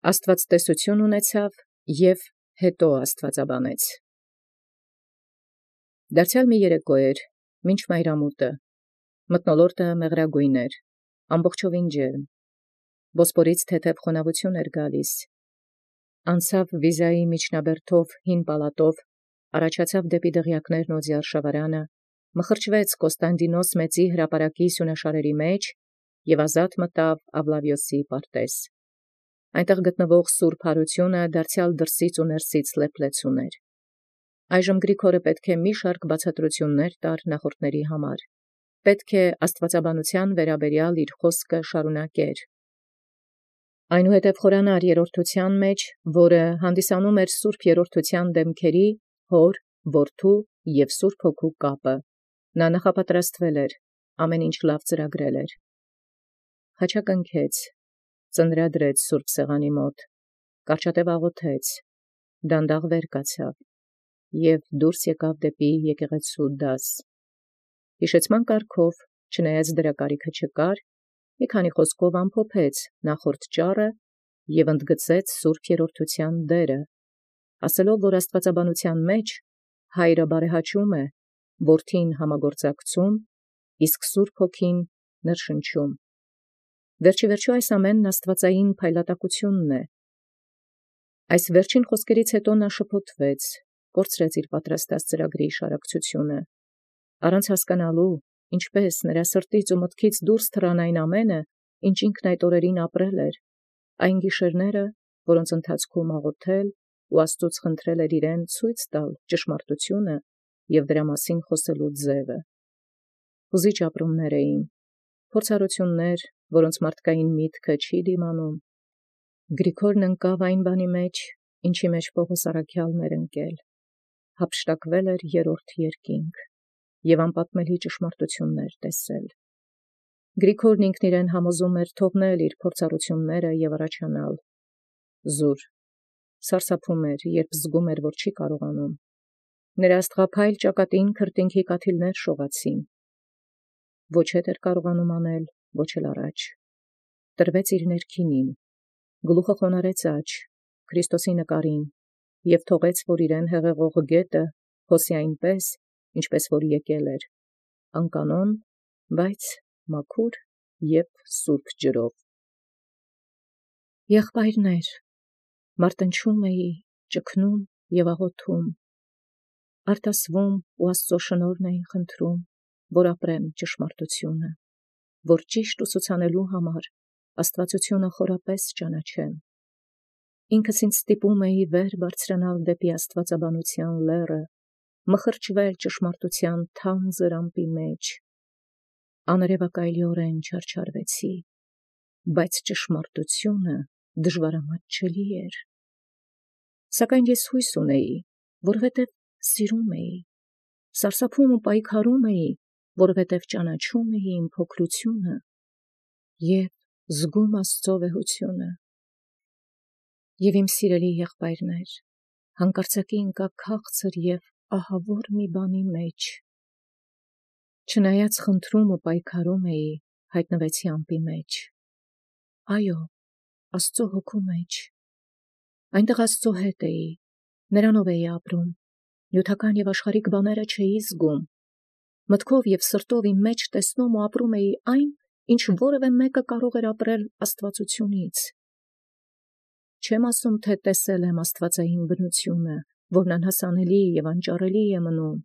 Աստուածտեսություն ունեցավ և հետո աստուածաբանեց։ Դարձեալ մի երեկո մինչ մայրամուտը, մթնոլորտը մեղրագոյն էր, ամբողջովին ջերմ, Բոսպորից թեթև խոնավութիւն գալիս. անցաւ Վիզայի միջնաբերդով հին պալատով, առաջացաւ դեպի դղյակներն օձի արշավարանը, մխրճվեց Կոստանդինոս մեծի հրապարակի սյունաշարերի մեջ և ազատ մտավ Աբլավիոսի պարտեզ։ Այնտեղ գտնվող սուրբ հարությունը դարձեալ դրսից ու ներսից լեփլեց ուներ։ Այժմ Գրիգորը պետք է մի շարք բացատրություններ տար նախորդների համար, պետք է աստուածաբանության վերաբերյալ իր խոսքը շարունակեր։ Այնուհետև խորանար երրորդության մեջ, որը հանդիսանում էր սուրբ երրորդության դեմքերի, հոր, որդու և սուրբ հոգու կապը, նա նախապատրաստվել էր, ամեն ինչ լավ ծրագրել էր։ Խաչակնքեց, ծնրադրեց սուրբ սեղանի մոտ, կարճատև աղոթեց, դանդաղ վեր կացավ և դուրս եկավ դեպի եկեղեցու դաս։ Հիշեցման կարգով, չնայած դրա կարիքը չկար, մի քանի խոսքով ամփոփեց նախորդ ճառը և ընդգծեց սուրբ երրորդության դերը, ասելով, որ աստուածաբանության մեջ հայրը բարեհաճում է, որդին համագործակցում, իսկ սուրբ հոգին ներշնչում։ Վերջիվերջո այս ամենն աստուածային փայլատակությունն է։ Այս վերջին խոսքերից հետո նա շփոթվեց, կորցրեց իր պատրաստած ծրագրի շարակցությունը, առանց հասկանալու, ինչպես նրա սրտից ու մտքից դուրս թռան այն ամենը, ինչ ինքն այդ օրերին ապրել էր, այն գիշերները, որոնց ընթացքում աղոթել ու Աստուծոց խնդրել էր իրեն ցույց տալ ճշմարտությունը և դրա մասին խոսելու ձևը։ Հուզիչ ապրումներ էին, փորձառություններ, որոնց մարդկային միտքը չի դիմանում։ Գրիգորն ընկավ այն բանի մեջ, ինչի մեջ Պողոս առաքյալն էր ընկել, հափշտակվել էր երրորդ երկինք և անպատմելի ճշմարտություններ տեսել։ Գրիգորն ինքն իրեն համոզում էր թողնել իր փորձառությունները և առաջանալ։ Զուր, սարսափում էր, երբ զգում էր, որ չի կարողանում։ Նրա աստղափայլ ճակատին քրտինքի կաթիլներ շողացին։ Ոչ հետ էր կարողանում անել, ոչ էլ առաջ։ Տրվեց իր ներքինին, գլուխը խոնարհեց աջ, Քրիստոսի նկարին և թողեց, որ իրեն հեղեղող գետը հոսի այնպես, ինչպես որ եկել էր, անկանոն, բայց մաքուր և սուրբ ջրով։ Եղբայրներ, մարտնչում էի, ճգնում և աղոթում, արտասվում ու Աստծո շնորհն էի խնդրում, որ ապրեմ ճշմարտությունը, որ ճիշտ ուսուցանելու համար աստվածությունը խորապես ճանաչեմ։ Ինքս ինձ ստիպում էի վեր բարձրանալ դեպի աստվածաբանության լեռը, մխրճվել ճշմարտության թանձր ամպի մեջ։ Աներևակայլիորեն չարչարվեցի, բայց ճշմարտությունը դժվարամատչելի էր։ Սակայն ես հույս ունեի, որովհետև սիրում էի, սարսափում ու պայքարում էի, որովհետև ճանաչում էի իմ փոքրությունը և զգում Աստծո վեհությունը։ Եվ իմ սիրելի եղբայրներ, հանկարծակի ընկա քաղցր և ահավոր մի բանի մեջ։ Չնայած խնդրում ու պայքարում էի, հայտնվեցի ամպի մեջ։ Այո, Աստծո հոգու մեջ։ Այնտեղ Աստծո հետ էի, նրանով էի ապրում, նյութական և աշխարհիկ բաները չէի զգում։ Մտքով և սրտով իմ մեջ տեսնում ու ապրում էի այն, ինչ որևէ մեկը կարող էր ապրել աստվածությունից։ Չեմ ասում, թե տեսել եմ աստվածային բնությունը, որն անհասանելի և անճառելի է մնում։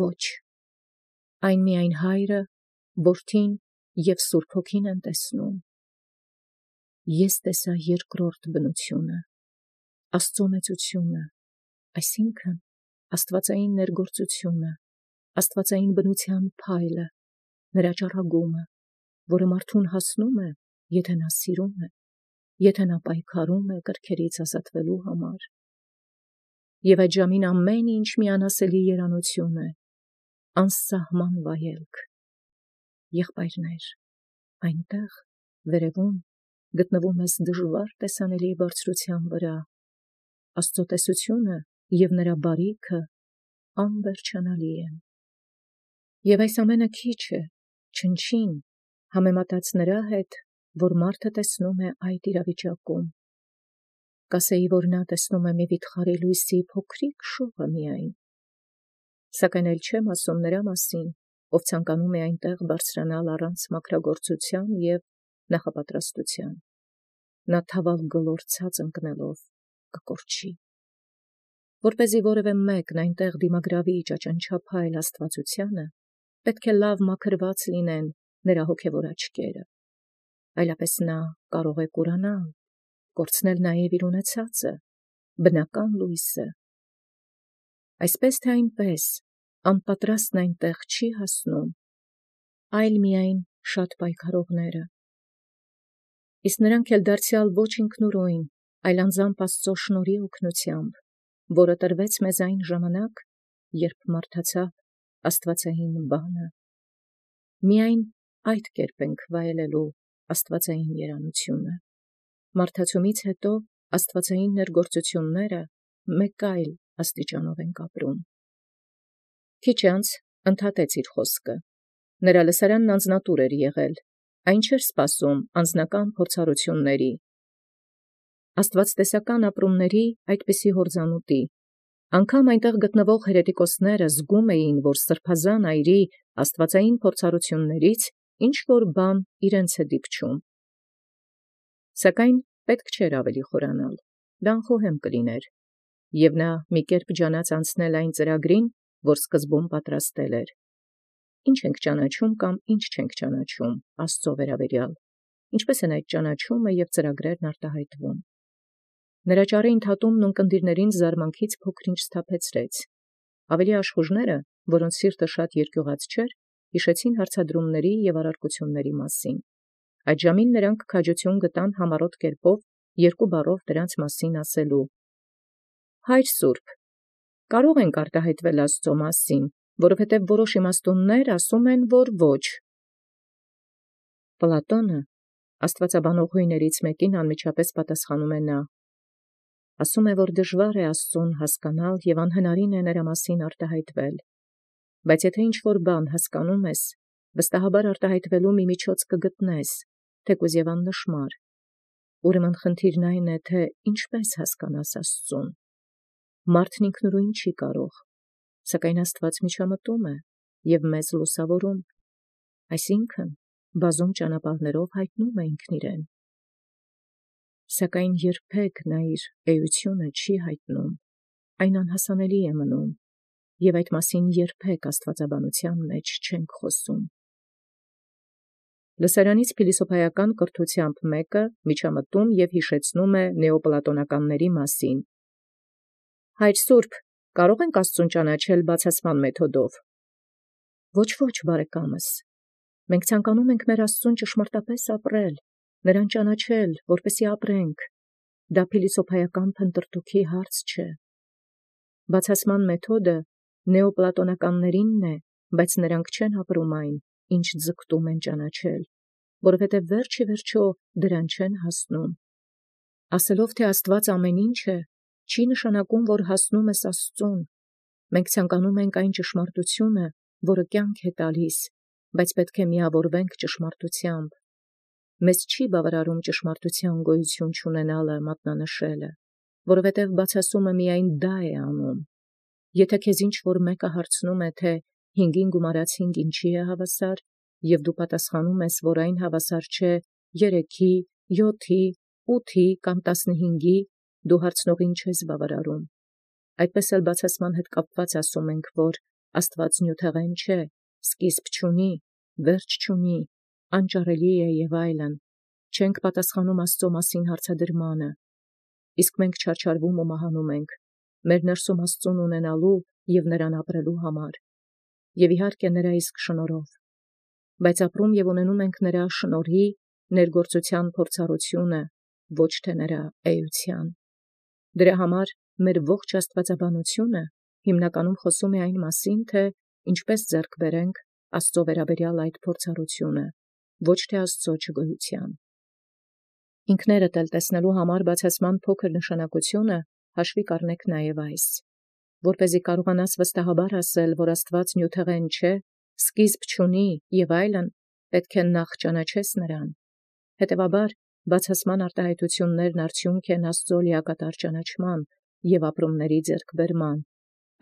Ոչ, այն միայն Հայրը, Որդին և Սուրբ Հոգին են տեսնում։ Ես տեսա երկրորդ բնությունը, Աստծո մեծությունը, այսինքն աստվածային ներգործությունը, աստվածային բնության փայլը, նրա ճառագումը, որը մարդուն հասնում է, եթե նա սիրում է, եթե նա պայքարում է կրքերից ազատվելու համար։ Եվ այդ ժամին ամեն ինչ մի անասելի երանություն է, անսահման վայելք։ Եղբայրներ, այնտեղ, վերևում, գտնվում ես դժվար տեսանելի բարձրության վրա, Աստծո տեսությունը և նրա բարիքը անվերջանալի են։ Եվ այս ամենը քիչ է, չնչին, համեմատած նրա հետ, որ մարդը տեսնում է այդ իրավիճակում։ կասեի, որ նա տեսնում է մի վիթխարի լույսի փոքրիկ շողը միայն, սակայն էլ չեմ ասում նրա մասին, ով ցանկանում է այնտեղ բարձրանալ առանց մաքրագործության և նախապատրաստության, նա թավալ գլորցած ընկնելով կկորչի, որպեսզի որևէ մեկն այնտեղ դիմագրավի ճաճանչափայլ աստվածությանը, պետք է լավ մաքրված լինեն նրա հոգևոր աչքերը, այլապես նա կարող է կուրանալ, կորցնել նաև իր ունեցածը, բնական լույսը, այսպես թե այնպես, անպատրաստն այնտեղ չի հասնում, այլ միայն շատ պայքարողները, իսկ նրանք էլ դարձյալ ոչ ինքնուրույն, այլ անձամբ Աստծո շնորհի օգնությամբ, որը տրվեց մեզ այն ժամանակ, երբ մարդացավ աստվածային բանը, միայն այդ կերպ ենք վայելելու աստվածային երանությունը, մարդացումից հետո աստվածային ներգործությունները մեկ այլ աստիճանով ենք ապրում։ Քիչ անց ընդհատեց իր խոսքը, նրա լսարանն անձնատուր էր եղել, այն չէր սպասում անձնական փորձառությունների, աստվածտեսական ապրումների այդպիսի հորձանուտի, անգամ այնտեղ գտնվող հերետիկոսները զգում էին, որ սրբազան այրի աստվածային փորձառություններից ինչ-որ բան իրենց է դիպչում, սակայն պետք չէր ավելի խորանալ, դա անխոհեմ կլիներ, և նա մի կերպ ջանաց անցնել այն ծրագրին, որ սկզբում պատրաստել էր։ Ինչ ենք ճանաչում կամ ինչ չենք ճանաչում Աստծո վերաբերյալ, ինչպես են այդ ճանաչումը և ծրագրերն արտահայտվում։ Նրա ճառի ընդհատումն ունկնդիրներին զարմանքից փոքր-ինչ սթափեցրեց։ Ավելի աշխուժները, որոնց սիրտը շատ երկյուղած չէր, հիշեցին հարցադրումների և առարկությունների մասին։ Այդ ժամին նրանք քաջություն գտան համառոտ կերպով երկու բառով դրանց մասին ասելու. Հայր Սուրբ, կարող ենք արտահայտվել Աստծո մասին, որովհետև որոշ իմաստուններ ասում են, որ ոչ։ Պլատոնը, աստվածաբանողուհիներից մեկին անմիջապես պատասխանում է նա. ասում է, որ դժվար է Աստծուն հասկանալ և անհնարին է նրա մասին արտահայտվել, բայց եթե ինչ-որ բան հասկանում ես, վստահաբար արտահայտվելու մի միջոց կգտնես, թեկուզ և աննշմար, ուրեմն խնդիրն այն է, թե ինչպես հասկանաս Աստծուն։ Մարդն ինքնուրույն չի կարող, սակայն Աստված միջամտում է և մեզ լուսավորում, այսինքն բազում ճանապարհներով հայտնում է ինքն իրեն։ Սակայն երբեք նա իր էությունը չի հայտնում, այն անհասանելի է մնում, և այդ մասին երբեք աստվածաբանության մեջ չենք խոսում։ Լսարանից փիլիսոփայական կրթությամբ մեկը միջամտում և հիշեցնում է նեոպլատոնականների մասին։ Հայր Սուրբ, կարող ենք Աստծուն ճանաչել բացասման մեթոդով։ Ոչ, բարեկամս, մենք ցանկանում ենք մեր Աստծուն ճշմարտապես ապրել, նրան ճանաչել, որպեսզի ապրենք։ Դա փիլիսոփայական փնտրտուքի հարց չէ։ Բացասման մեթոդը նեոպլատոնականներինն է, բայց նրանք չեն ապրում այն, ինչ ձգտում են ճանաչել, որովհետև վերջ ի վերջո դրան չեն հասնում։ Ասելով, թե Աստված ամեն ինչ է, չի նշանակում, որ հասնում ես Աստծուն։ Մենք ցանկանում ենք այն ճշմարտությունը, որը կյանք է տալիս, բայց պետք է միավորվենք ճշմարտությամբ։ Մեզ չի բավարարում ճշմարտության գոյություն չունենալը մատնանշելը, որովհետև բացասումը միայն դա է անում։ Եթե քեզ ինչ-որ մեկը հարցնում է, թե 5-ին գումարած 5 ինչի է հավասար, և դու պատասխանում ես, որ այն հավասար չէ 3-ի, 7-ի, 8-ի կամ 15-ի, դու հարցնողին չես բավարարում։ Այդպես էլ բացասման հետ կապված ասում ենք, որ Աստված նյութեղեն չէ, սկիզբ չունի, վերջ չունի, անճարելի է և այլն, չենք պատասխանում Աստծո մասին հարցադրմանը, իսկ մենք չարչարվում ու մահանում ենք, մեր ներսում Աստծուն ունենալու և նրան ապրելու համար, և իհարկե նրա իսկ շնորհով, բայց ապրում և ունենում ենք նրա շնորհի ներգործության փորձառությունը, ոչ թե նրա էության։ Դրա համար մեր ողջ աստվածաբանությունը հիմնականում խոսում է այն մասին, թե ինչպես ձեռք բերենք Աստծո վերաբերյալ այդ փորձառությունը, ոչ թե Աստծո չգոյության։ Ինքներդ էլ տեսնելու համար բացասման փոքր նշանակությունը հաշվի կառնեք նաև այս, որպեսզի կարողանաս վստահաբար ասել, որ Աստված նյութեղեն չէ, սկիզբ չունի և այլն, պետք է նախ ճանաչես նրան, հետևաբար բացասման արտահայտություններն արդյունք են Աստուծոյ լիակատար ճանաչման և ապրումների ձեռքբերման.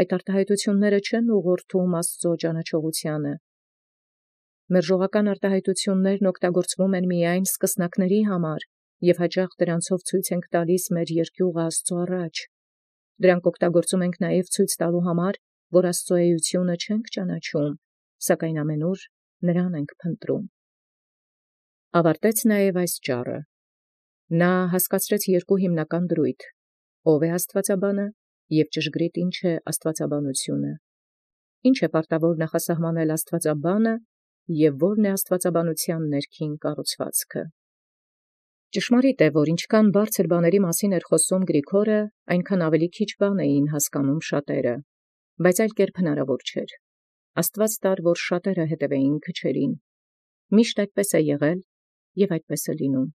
այդ արտահայտությունները չեն ուղղորդում Աստուծոյ ճանաչողությանը։ Մերժողական արտահայտություններն օգտագործվում են միայն սկսնակների համար, և հաճախ դրանցով ցույց ենք տալիս մեր երկյուղը Աստուծոյ առաջ։ Դրանք օգտագործում ենք նաև ցույց տալու համար, որ Աստուծոյ էությունը չենք ճանաչում, սակայն ամենուր նրան ենք փնտրում։ Ավարտեց նաև այս ճառը։ Նա հասկացրեց երկու հիմնական դրույթ. ով է աստվածաբանը և ճշգրիտ ինչ է աստվածաբանությունը։ Ինչ է պարտավոր նախասահմանել աստվածաբանը և որն է աստվածաբանության ներքին կառուցվածքը։ Ճշմարիտ է, որ ինչքան բարձր բաների մասին էր խոսում Գրիգորը, այնքան ավելի քիչ բան էին հասկանում շատերը, բայց այլ կերպ հնարավոր չէր։ Աստուած տար, որ շատերը հետևեին քչերին։ Միշտ այդպես է եղել և այդպես է լինում։